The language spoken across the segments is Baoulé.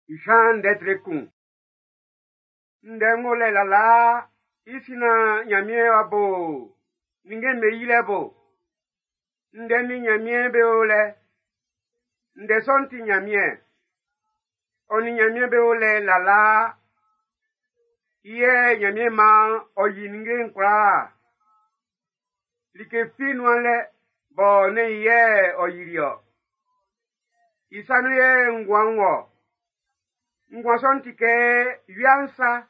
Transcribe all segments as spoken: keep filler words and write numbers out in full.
Jean ndɛ kun. Ndɛ ng'ɔ lɛ lalaa i sin na Ɲanmiɛn w'a bo ninnge'm be yilɛ bo. Ndɛ nin Ɲanmiɛn be o lɛ. Ndɛ sɔ'n ti Ɲanmiɛn. Ɔ nin Ɲanmiɛn be o lɛ lalaa. I yɛ Ɲanmiɛn maan ɔ yi ninnge'n kwlaa. Like fi nuan lɛ bɔ nɛ́n i yɛ ɔ yili ɔ. I sa nun yɛ nguan'n wɔ. Nguan sɔ'n ti kɛ wia'n sa.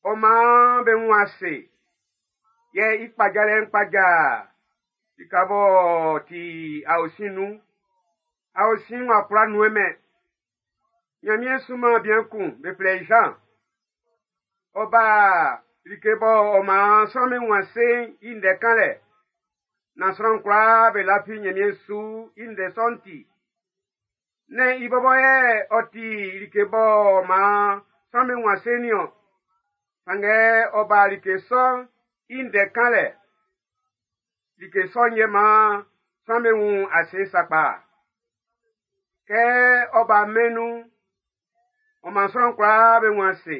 Ɔ maan be wun ase. Yɛ i kpajalɛ'n kpaja lika b'ɔ ti aosin nun. Aosin'n w'a kwlá nuɛnmɛn. Ɲanmiɛn sunman bian kun, be flɛ i Jean. Ɔ ba like bɔ ɔ maan sran'm be wun ase'n i ndɛ kanlɛ. Na sran kwlaa be lafi Ɲanmiɛn su i ndɛ sɔ'n ti. Nɛ́n i bɔbɔ yɛ ɔ ti like bɔ maan sran'm be wun ase'n niɔn. Sanngɛ ɔ ba like sɔ'n i ndɛ kanlɛ. Like sɔ'n yɛ maan sran'm be wun ase sakpa. Kɛ ɔ ba mɛn'n nun'n, ɔ maan sran kwlaa be wun ase.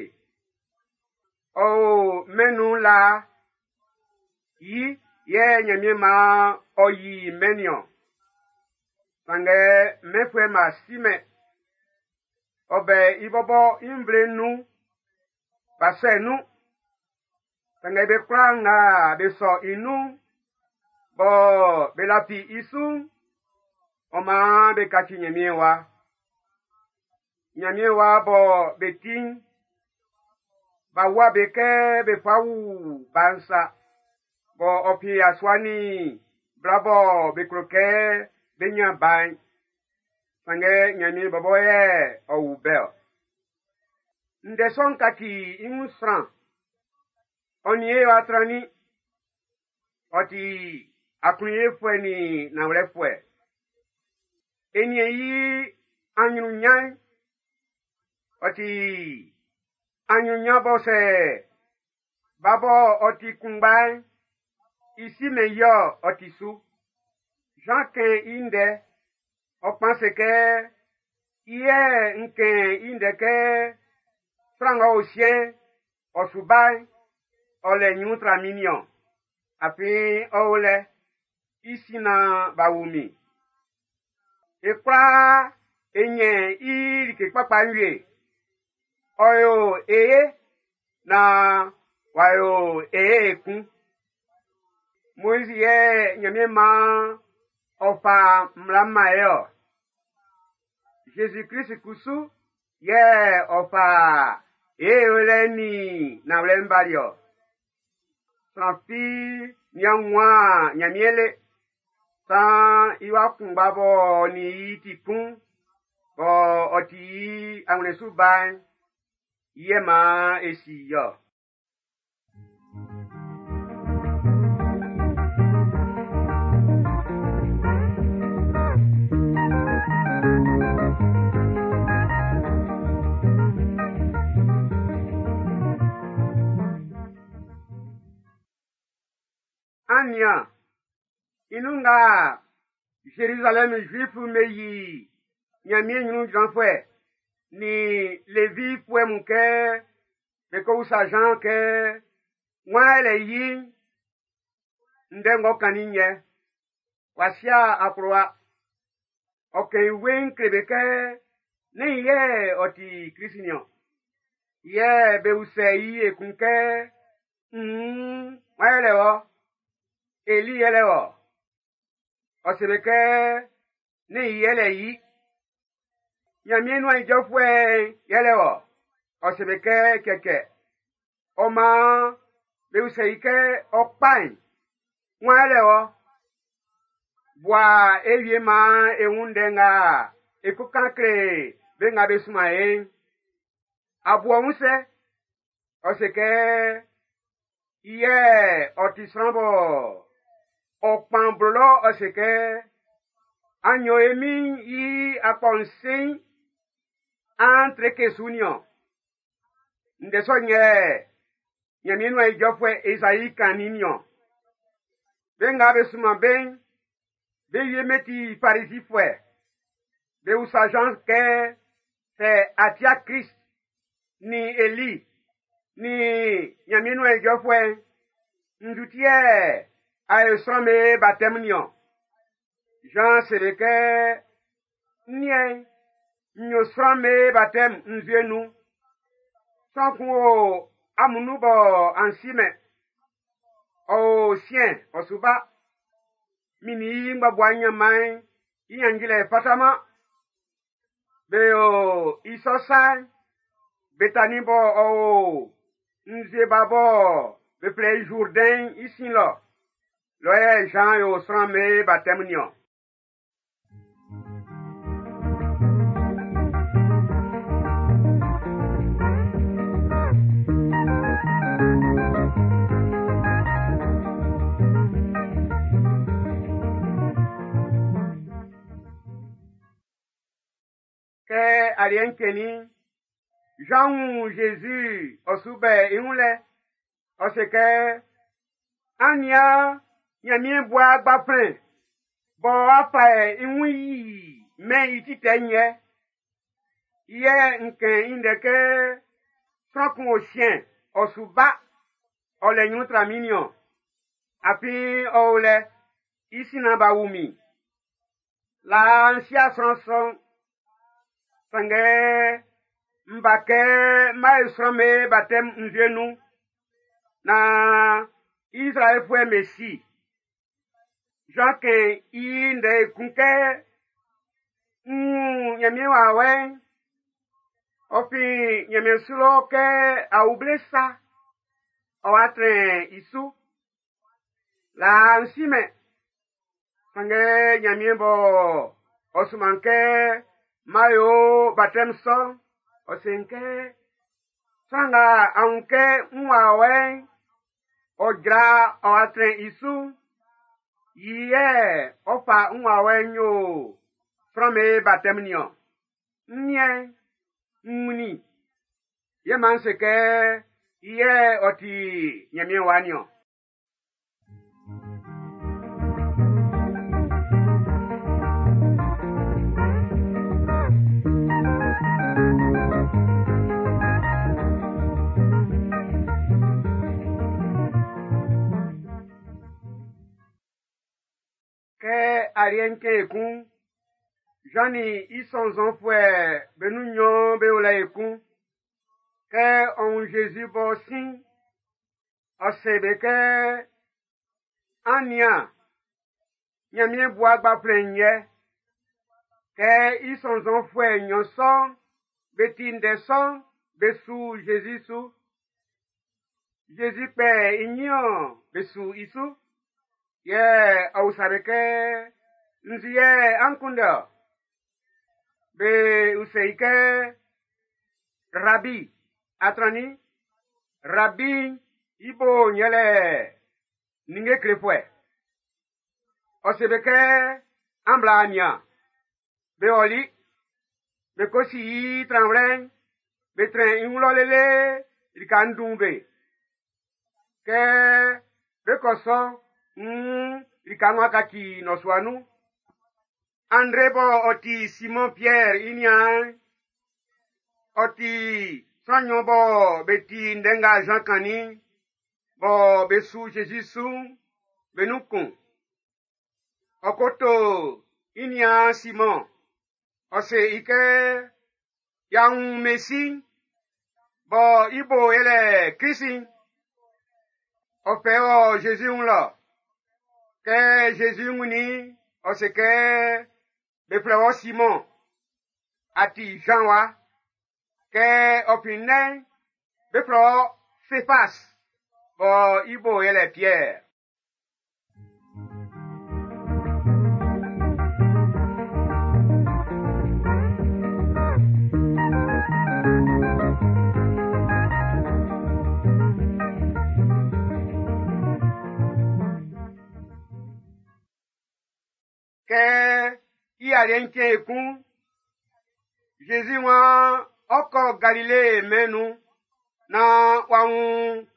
Ɔ o mɛn'n nun laa. I yɛ Ɲanmiɛn maan ɔ yi mɛn'n niɔn. Sanngɛ mɛnfuɛ'm b'a simɛn. Ɔ bɛ i bɔbɔ i nvle'n nun, b'a sɔ i nun. Sanngɛ be kwlaa nga be sɔ i nun'n, bɔ be lafi i su'n, ɔ maan be kaci Ɲanmiɛn wa. Ɲanmiɛn wa bɔ be ti'n, b'a wua be kɛ be fa wu ba'n sa. Bɔ ɔ fin yasua nin bla bɔ be klo kɛ be ɲan ba'n. Sanngɛ Ɲanmiɛn bɔbɔ yɛ ɔ wu be ɔ. Ndɛ sɔ'n kaci i wun sran. Ɔ nin e wa trannin. Ɔ ti aklunyefuɛ nin nanwlɛfuɛ. E nin i anyunnyan'n. Ɔ ti anyunnyan bɔ sɛ ba bɔ ɔ ti kunngba'n, i si mɛn i ɔ ɔ ti su. Jean kɛn i ndɛ, ɔ kpan se kɛ, i yɛ n kɛn i ndɛ kɛ sran ng'ɔ o siɛn'n, ɔ su ba'n, ɔ lɛ ɲrun tra min niɔn. Afin ɔ o lɛ, i sin na b'a wu min. E kwlaa e ɲɛn i like kpakpa'n wie. Ɔ yo e ye na w'a yo e ye ekun. Moizi yɛ Ɲanmiɛn maan ɔ fa mmla man e ɔ. Zezi Klist kusu yɛ ɔ fa e yolɛ'n nin nanwlɛ'n bali ɔ. Sran fi nian wunman Ɲanmiɛn le. San i wa kunngba b'ɔ nin i ti kun, bɔ ɔ ti i awlɛn su ba'n, i yɛ maan e si i ɔ. An nian, i nun nga Zerizalɛmu Zuifu'm be yi Ɲanmiɛn ɲrun jranfuɛ nin Levifuɛ mun kɛ be ko usa Jean kɛ wan yɛlɛ yi'n, ndɛ ng'ɔ kannin'n yɛ, w'a sia akplowa. Ɔ kɛn i weiin kle be kɛ nɛ́n i yɛ ɔ ti Klist niɔn. Yɛ be usɛ i ekun kɛ, mm, wan yɛlɛ wɔ? Eli yɛlɛ wɔ? Ɔ se be kɛ nɛ́n i yɛlɛ i. Ɲanmiɛn nuan ijɔfuɛ'n yɛlɛ wɔ? Ɔ se be kɛ cɛcɛ. Ɔ maan be usɛ i kɛ ɔ kpa'n, wan yɛlɛ wɔ? Bua e wie maan e wun ndɛ nga e ko kan kle be nga be sunman e'n. A bu ɔ wun sɛ? Ɔ se kɛ i yɛ ɔ ti sran bɔ ɔ kpan blo lɔ ɔ se kɛ an yo e Min'n i akpɔ'n sein, an treke su niɔn. Ndɛ sɔ'n yɛ Ɲanmiɛn nuan ijɔfuɛ Ezai kannin'n niɔn. Be nga be sunman be'n, be wie mɛn ti Farizifuɛ. Be usa Jean kɛ, Sɛ a tia Krist, nin Eli, nin Ɲanmiɛn nuan ijɔfuɛ'n, nzu ti yɛ a yo sran'm be batɛmun niɔn? Jean seli kɛ, n niɛn, n yo sran'm be batɛm nzue nun. Sran kun o amun nun bɔ an si-mɛn. Ɔ o siɛn ɔ su ba. Min nin i ngbabua nyanman'n i nyanjilɛ fataman. Be o i sɔ sa'n, Betani bɔ ɔ o nzue ba bɔ be flɛ i Jourdain i sin lɔ. Lɔ yɛ Jean yo sran'm be batɛm niɔn. Kɛ aliɛ'n cɛnnin'n, Jean wun Jésus ɔ su bɛ i wun lɛ. Ɔ se kɛ, an nian Ɲanmiɛn bua gbaflɛn bɔ a fa i wun yi mɛn i ti tɛ'n yɛ. Yɛ n kɛn i ndɛ kɛ sran kun o siɛn ɔ su ba ɔ lɛ ɲrun tra min niɔn. Afin ɔ o lɛ i sin nan b'a wu min. Laa n si'a sran sɔ'n, sanngɛ n ba kɛ m'a yo sran'm be batɛm nzue nun naan Izraɛlfuɛ'm be si. Jean kɛn i ndɛ ekun kɛ n wun Ɲanmiɛn wawɛ'n, ɔ fin Ɲanmiɛn su lɔ kɛ awuble sa, ɔ wa trɛn i su. Laa n si-mɛn, sanngɛ Ɲanmiɛn bɔ ɔ suman kɛ m'a yo batɛm sɔ'n, ɔ se n kɛ sran nga a wun kɛ n wawɛ'n, ɔ jra ɔ wa trɛn i su, yi yɛ ɔ fa n wawɛ'n yo sran'm be batɛm niɔn. N niɛn, n wunnin, yɛ m'an se kɛ i yɛ ɔ ti Ɲanmiɛn wa niɔn. Kɛ aliɛ'n cɛn ekun, Jean nin i sɔnnzɔnfuɛ be nun nnyɔn be o lɛ ekun. Kɛ ɔ wun Jésus b'ɔ sin, ɔ se be kɛ, an nian, Ɲanmiɛn bua gbaflɛn'n yɛ. Kɛ i sɔnnzɔnfuɛ nnyɔn sɔ'n be ti ndɛ sɔ'n, be su Jésus su. Jésus kpɛ i nyin-ɔn, be su i su. Yɛ ɔ usa be kɛ, nzu yɛ an kunndɛ-ɔ? Be usɛ i kɛ, Rabi, a trannin? Rabi i bo yɛlɛ ninnge klefuɛ. Ɔ se be kɛ, an bla nian. Be ɔli, be ko si i tranwlɛ'n, be trɛn i wun lɔ lele lika'n dun be. Kɛ be kɔ sɔ, nn lika'n w'a kaci nnɔsua nun. André bɔ ɔ ti Simon Pierre i niaan'n, ɔ ti sran nnyɔn bɔ be ti ndɛ nga Jean kannin'n, bɔ be su Jésus su'n, be nun kun. Ɔ ko to i niaan Simon, ɔ se i kɛ, y'a wun Mesi'n, bɔ i bo yɛlɛ Krist'n. Ɔ fɛ wɔ Jésus wun lɔ. Kɛ Jésus wunnin, ɔ se kɛ, be flɛ wɔ Simon, a ti Jean wa. Kɛ ɔ fin nnɛn'n, be flɛ wɔ Céphas, bɔ i bo yɛlɛ Pierre. Kɛ i aliɛ'n cɛn ekun, Jésus waan ɔ kɔ Galile mɛn'n nun naan w'a wun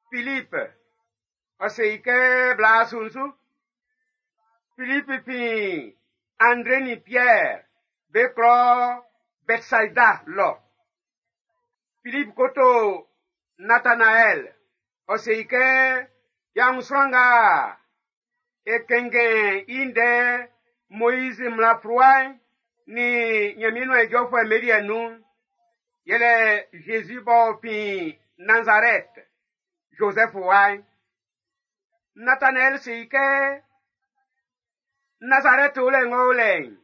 Philippe. Ɔ se i kɛ bla su'n su. Philippe fin André nin Pierre be klɔ Bɛtsaida lɔ. Filip ko to Natanaɛl, ɔ se i kɛ, y'a wun sran nga e kɛnngɛn i ndɛ Moizi mmla fluwa'n nin Ɲanmiɛn nuan ijɔfuɛ'm be liɛ'n nun'n, yɛlɛ Zezi b'ɔ fin Nazarɛt, Zozɛf wa'n. Natanaɛl se i kɛ, Nazarɛt o lɛ ng'ɔ o lɛ'n,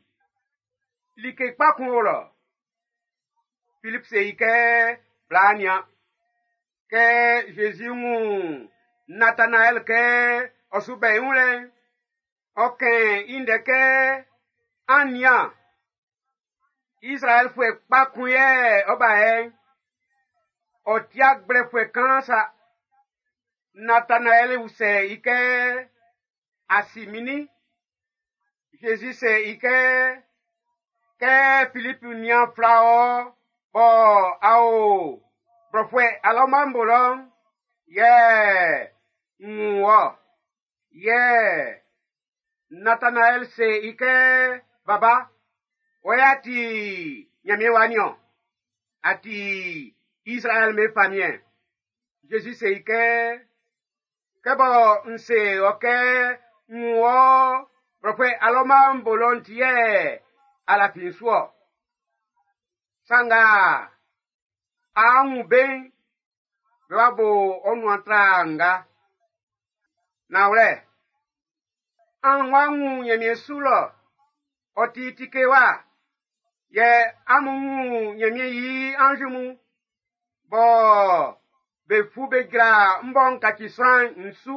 like kpa kun o lɔ. Filip se i kɛ, bla nian. Kɛ Zezi wun Natanaɛl kɛ ɔ su bɛ i wun lɛ'n, ɔ kɛn i ndɛ kɛ, an nian, Izraɛlfuɛ kpa kun yɛ ɔ ba yɛ'n, ɔ ti gblɛfuɛ kaan sa. Natanaɛl usɛ i kɛ, a si min nin? Zezi se i kɛ, kɛ Filip nian fla ɔ, bɔ a o blɔfuɛ alɔma'n bo lɔ'n, yɛ n wun wɔ. Yɛ Natanaɛl se i kɛ, baba, wɔ yɛ a ti Ɲanmiɛn wa niɔn, a ti Izraɛl be famiɛn. Zezi se i kɛ, kɛ bɔ n se ɔ kɛ n wun wɔ blɔfuɛ alɔma'n bo lɔ'n ti yɛ a lafi n su ɔ. Sa nga a wun be'n, be wa bo ɔ nuan tra nga. Nanwlɛ, an wa wun Ɲanmiɛn su lɔ, ɔ ti tike wa, yɛ amun wun Ɲanmiɛn i anzi mun, bɔ be fu be jra m bɔ n kaci sran'n n su.